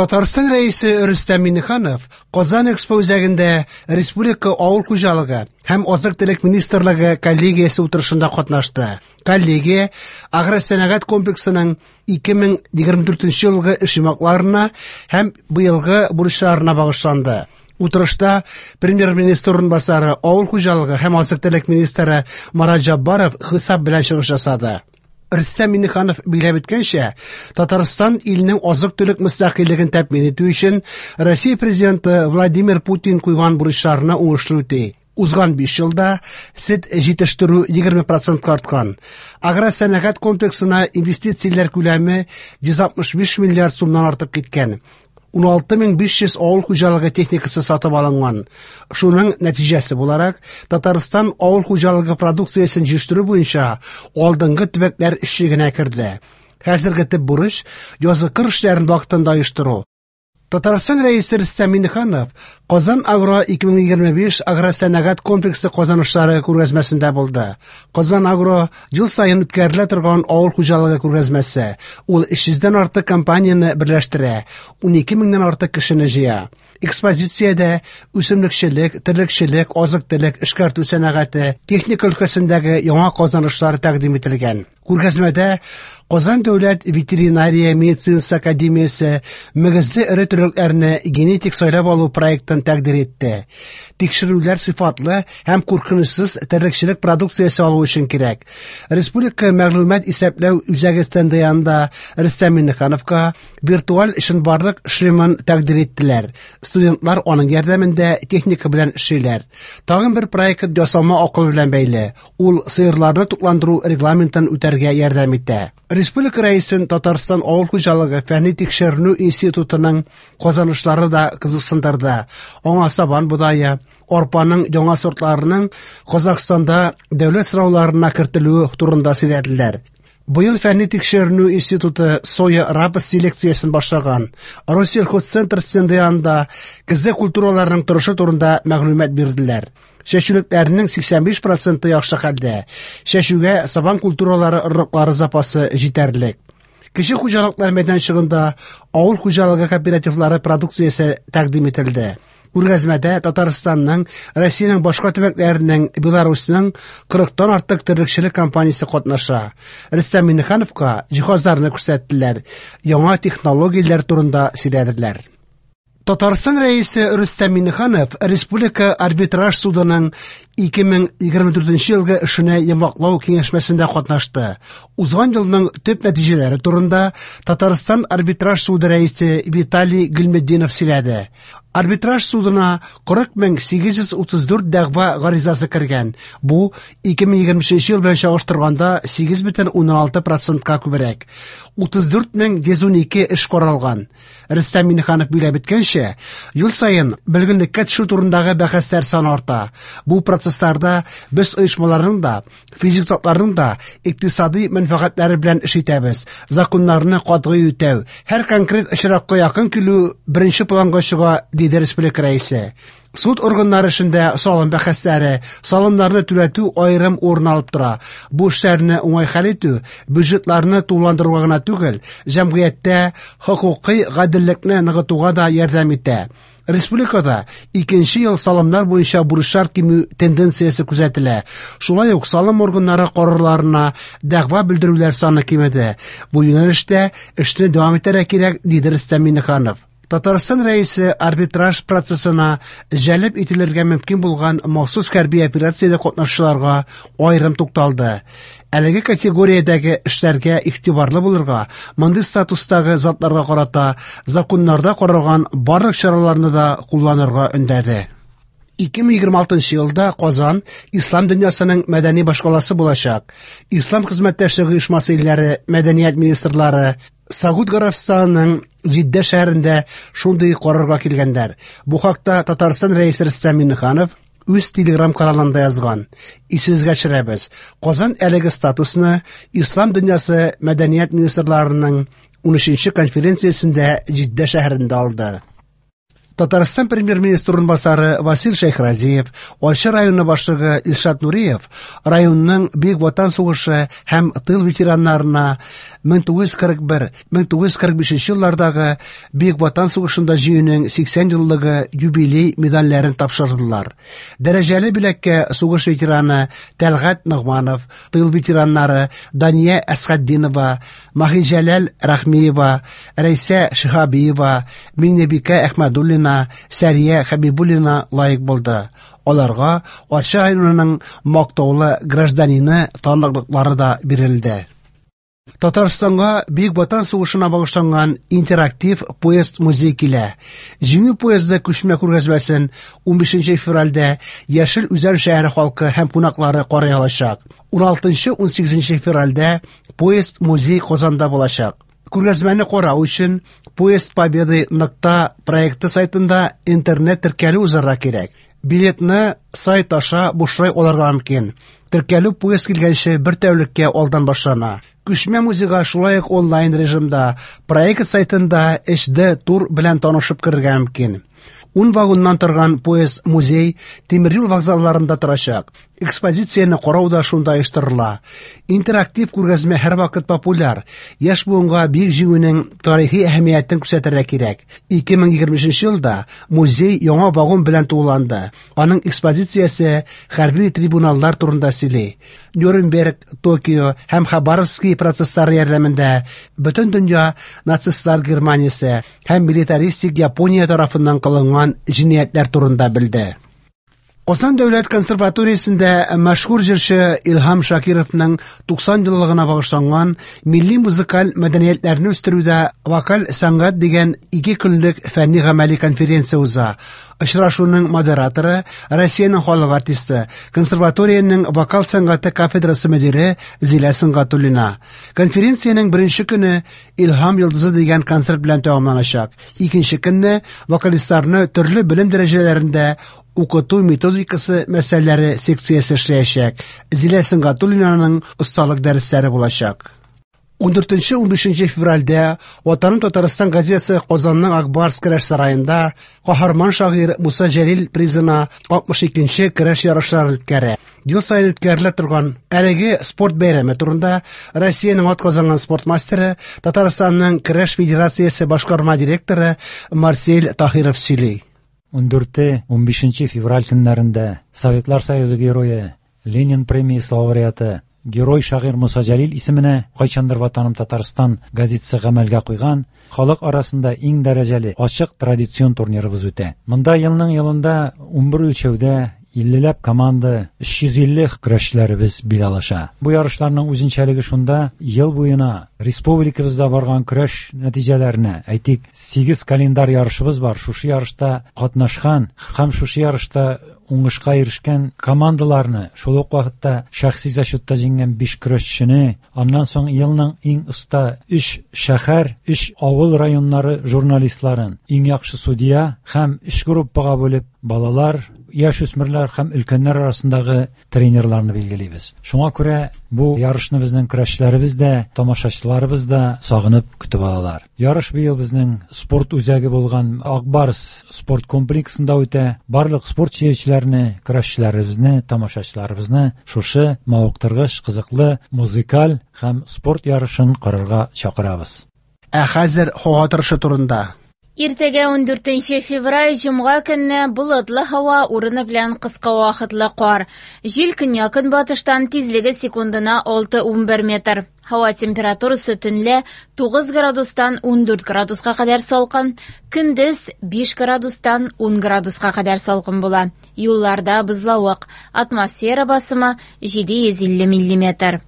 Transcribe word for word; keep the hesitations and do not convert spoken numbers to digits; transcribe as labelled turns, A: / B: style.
A: Татарстан Рәисе Рөстәм Миңнеханов Казан Экспо үзәгендә Республика авыл хуҗалыгы һәм азык-төлек министрлыгы коллегиясе утырышында катнашты. Коллегия агросәнәгать комплексының ике мең егерме дүртенче елгы эш йомгакларына һәм быелгы бурычларына багышланды. Утырышта премьер-министр урынбасары, авыл хуҗалыгы һәм азык-төлек министры Марат Җаббаров хисап белән чыгыш ясады. Рөстәм Миңнеханов билгеләп үткәнчә, Татарстан илнең азык-төлек мөстәкыйльлеген тәэмин итү өчен Россия президенты Владимир Путин куйган бурычларны уңышлы үти. Узган биш елда сөт җитештерү егерме процентка арткан. Агросәнәгать комплексына инвестицияләр күләме йөз алтмыш биш миллиард сумнан артып киткән. Ун алты мең биш йөз авыл хуҗалыгы техникасы сатып алынган. Шуның нәтиҗәсе буларак, Татарстан авыл хуҗалыгы продукциясен җитештерү буенча алдынгы төбәкләр өчлегенә керде. Хәзерге төп бурыч язгы кыр эшләрен вакытында оештыру. Татарстан Рәисе Рөстәм Миңнеханов Казан Агро ике мең егерме биш агросәнәгать комплексы казанышлары күргәзмәсендә булды. Казан Агро ел саен үткәрелә торган авыл хуҗалыгы күргәзмәсе. Ул өч йөздән артык компанияне берләштерә, унике меңнән артык кешене җыя. Экспозициядә үсемлекчелек, терлекчелек, азык-төлек, эшкәртү сәнәгате, техника өлкәсендәге яңа казанышлар тәкъдим ителгән. Күргәзмәдә Казан дәүләт ветеринария медицинасы академиясе мөгезле эре терлекләрне генетик сайлап алу проектын тәкъдир итте. Тикшерүләр сыйфатлы һәм куркынычсыз терлекчелек продукциясе алу өчен кирәк. Республика мәгълүмат исәпләү үзәге стенды янында Рөстәм Миңнехановка виртуаль чынбарлык шлемын тәкъдир иттеләр. Студентлар аның ярдәмендә техника белән эшлиләр. Тагын бер проект ясалма акыл белән бәйле. Ул сыерларны тукландыру регламентын үтәргә ярдәм итә. Республика Рәисен Татарстан авыл хуҗалыгы фәнни тикшеренү институтының казанышлары да кызыксындырды. Аңа сабан бодае, арпаның яңа сортларының Казахстанда дәүләт сорауларына кертелүе турында сөйләделәр. Быел фәнни тикшеренү институты соя рапс селекциясен башлаган. Россельхозцентр стенды янында көзге культураларның торышы турында мәгълүмат бирделәр. Чәчүлекләрнең сиксән биш проценты яхшы хәлдә. Чәчүгә сабан культуралары орлыклары запасы җитәрлек. Кече хуҗалыклар мәйданчыгында авыл хуҗалыгы кооперативлары продукциясе тәкъдим ителде. Күргәзмәдә Татарстанның, Россиянең башка төбәкләренең, Беларусьның кырыктан артык терлекчелек компаниясе катнаша. Рөстәм Миңнехановка җиһазларны күрсәттеләр, яңа технологияләр турында сөйләделәр. Татарстан Рәисе Рөстәм Миңнеханов Республика арбитраж судының ике мең егерме дүртенче елгы эшенә йомгаклау киңәшмәсендә катнашты. Узган елның төп нәтиҗәләре турында Татарстан арбитраж суды рәисе Виталий Гыйльметдинов сөйләде. Арбитраж судына кырык мең сигез йөз утыз дүрт дәгъва гаризасы кергән. Бу ике мең егерме өченче ел белән чагыштырганда сигез бөтен уннан алты процентка күбрәк. Утыз дүрт мең йөз унике эш каралган. Рөстәм Миңнеханов билгеләп үткәнчә, ел саен бөлгенлеккә төшү турындагы бәхәсләр саны арта. Бу процессларда без оешмаларның да, физик затларның да икътисади мәнфәгатьләре белән эш итәбез. Законнарны катгый үтәү, һәр конкрет очракка якын килү беренче планга чыга, диде республика рәисе. Суд органнары эшендә салым бәхәсләре, салымнарны түләтү аерым урын алып тора. Бу эшләрне уңай хәл итү бюджетларны тулыландыруга гына түгел, җәмгыятьтә хокукый гаделлекне ныгытуга да ярдәм итә. Республикада икенче ел салымнар буенча бурычлар кимү тенденциясе күзәтелә. Шулай ук салым органнары карарларына дәгъва белдерүләр саны кимеде. Бу юнәлештә эшне дәвам итәргә кирәк, диде Рөстәм Миңнеханов. Татарстан Рәисе арбитраж процессына җәлеп ителергә мөмкин булган махсус хәрби операциядә катнашучыларга аерым тукталды. Әлеге категориядәге эшләргә игътибарлы булырга, мондый статустагы затларга карата законнарда каралган барлык чараларны да кулланырга өндәде. Ике мең егерме алтынчы елда Казан ислам дөньясының мәдәни башкаласы булачак. Ислам хезмәттәшлеге оешмасы илләре мәдәният министрлары Сауд Гарәбстанының Җиддә шәһәрендә шундый карарга килгәннәр. Бу хакта Татарстан Рәисе Рөстәм Миңнеханов үз Телеграм каналында язган. Исегезгә төшерәбез. Казан әлеге статусны Ислам дөньясы мәдәният министрларының унөченче конференциясендә Җиддә шәһәрендә алды. Татарстан премьер-министры урынбасары Васил Шәйхразиев, Арча районы башлыгы Илшат Нуриев районның Бөек Ватан сугышы һәм тыл ветераннарына мең тугыз йөз кырык бер — мең тугыз йөз кырык бишенче еллардагы Бөек Ватан сугышында җиңүнең сиксән еллыгы юбилей медальләрен тапшырдылар. Дәрәҗәле бүләккә сугыш ветераны Тәлгать Ногманов, тыл ветераннары Дания Әсхәтдинова, Маһиҗәләл Рәхмиева, Рәйсә Шиһабиева, Миңнебикә Әхмәдуллина, Сәрия Хәбибуллина лаек булды. Аларга Арча районының мактаулы гражданины таныклыклары да бирелде. Татарстанга Бөек Ватан сугышына багышланган интерактив поезд музей килә. Җиңү поезды күчмә күргәзмәсен унбишенче февральдә Яшел Үзән шәһәре халкы һәм кунаклары карый алачак. Уналтынчы унсигезенче февральдә поезд музей Казанда булачак. Күргәзмәне карау өчен Поезд Победы нокта проекты сайтында интернет теркәлү узарга кирәк. Билетны сайт аша бушлай алырга мөмкин. Теркәлү поезд килгәнче бер тәүлеккә алдан башлана. Күчмә музейга шулай ук онлайн режимда проект сайтында эйч ди тур белән танышып керергә мөмкин. Ун вагоннан торган поезд музей тимер юл вокзалларында торачак. Экспозицияне карау да шунда оештырыла. Интерактив күргәзмә һәрвакыт популяр. Яшь буынга Бөек Җиңүнең тарихи әһәмиятен күрсәтергә кирәк. Ике мең егерме өченче елда музей яңа вагон белән тулыланды. Аның экспозициясе хәрби трибуналлар турында сөйли. Нюрнберг, Токио һәм Хабаровский процесслары ярдәмендә бөтен дөнья нацистлар Германиясе һәм милитаристик Япония тарафыннан кылынган җинаятьләр турында белде. Казан дәүләт консерваториясендә мәшһүр җырчы Илһам Шакировның туксан еллыгына багышланган милли музыкаль мәдәниятләрне үстерүдә вокаль сәнгать дигән ике көнлек фәнни гамәли конференция уза. Очрашуның модераторы Россиянең халык артисты, консерваториянең вокал сәнгате кафедрасы мөдире Зилә Сөнгатуллина. Конференциянең беренче көне Илһам йолдызы дигән концерт белән тәмамланачак. Икенче көнне вокалистларны төрле белем дәрәҗәләрендә укыту методикасы мәсьәләләре секциясе эшләячәк. Зилә Сөнгатуллинаның осталык дәресләре булачак. Ундүртенче унбишенче февральдә Ватаным Татарстан газетасы Казанның Акбарс көрәш сараенда каһарман шагыйрь Муса Җәлил призына алтмыш икенче көрәш ярышлары үткәрә. Ел саен үткәрелә торган әлеге спорт бәйрәме турында Россиянең атказанган спорт мастеры, Татарстанның көрәш федерациясе башкарма директоры Марсель Таһиров сөйли.
B: Ундүрте унбишенче февраль көннәрендә Советлар Союзы герое, Ленин премиясе лауреаты, герой шагыйрь Муса Җәлил исеменә кайчандыр Ватаным Татарстан газетасы гамәлгә куйган халык арасында иң дәрәҗәле ачык традицион турнирыбыз үтә. Монда елның елында унбер үлчәүдә иллеләп команда, өч йөз илле көрәшчеләребез бил алыша. Бу ярышларның үзенчәлеге шунда, ел буена республикабызда барган көрәш нәтиҗәләренә, әйтик, сигез календарь ярышыбыз бар. Шушы ярышта катнашкан һәм шушы ярышта уңышка ирешкән командаларны, шул ук вакытта шәхси зачетта җиңгән биш көрәшчене, аннан соң елның иң оста өч шәһәр, өч авыл районнары журналистларын, иң яхшы судья һәм өч группага бүлеп балалар, яшь үсмерләр һәм өлкәннәр арасындагы тренерларны билгелибез. Шуңа күрә бу ярышны безнең көрәшчеләребез дә, тамашачыларыбыз да сагынып көтеп алалар. Ярыш быел безнең спорт үзәге булган Акбарс спорт комплексында үтә. Барлык спорт сөючеләрне, көрәшчеләребезне, тамашачыларыбызны шушы мавыктыргыч, кызыклы музыкаль һәм спорт ярышын карарга чакырабыз.
A: Ә хәзер һава торышы турында.
C: Иртәгә ундүртенче февраль җомга көнне болытлы һава, урыны белән кыска вакытлы кар. Җил көньяк-көнбатыштан, тизлеге секундына алты унбер метр. Һава температурасы төнлә тугыз градустан ундүрт градуска кадәр салкын, көндез биш градустан ун градуска кадәр салкын була. Юлларда бозлавык, атмосфера басымы җиде йөз илле миллиметр.